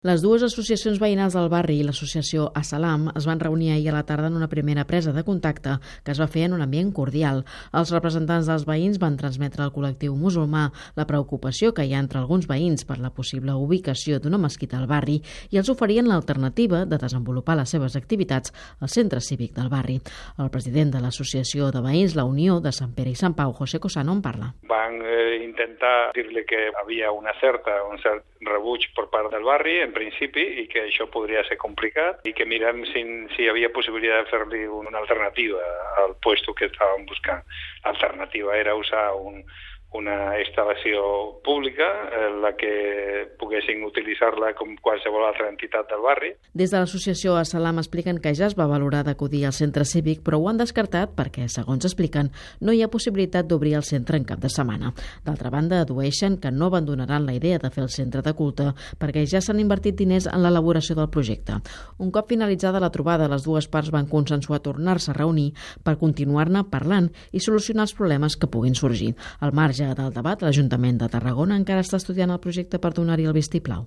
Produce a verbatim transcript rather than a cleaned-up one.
Les dues associacions veïnals del barri i l'associació Assalam es van reunir ahir a la tarda en una primera presa de contacte que es va fer en un ambient cordial. Els representants dels veïns van transmetre al col·lectiu musulmà la preocupació que hi ha entre alguns veïns per la possible ubicació d'una mesquita al barri i els oferien l'alternativa de desenvolupar les seves activitats al centre cívic del barri. El president de l'associació de veïns La Unió de Sant Pere i Sant Pau, José Cosano, en parla. Van eh, intentar dir-li que havia una certa, un cert rebuig per part del barri, en principi, i que això podria ser complicat i que mirem si, si hi havia possibilitat de fer-li una alternativa al puesto que estàvem buscant. L'alternativa era usar un, una instal·lació pública en la que poguessin utilitzar-la com qualsevol altra entitat del barri. Des de l'associació Assalam expliquen que ja es va valorar d'acudir al centre cívic, però ho han descartat perquè, segons expliquen, no hi ha possibilitat d'obrir el centre en cap de setmana. D'altra banda, adueixen que no abandonaran la idea de fer el centre de culte perquè ja s'han invertit diners en l'elaboració del projecte. Un cop finalitzada la trobada, les dues parts van consensuar tornar-se a reunir per continuar-ne parlant i solucionar els problemes que puguin sorgir. Al marge del debat, l'Ajuntament de Tarragona encara està estudiant el projecte per donar-hi el vistiplau.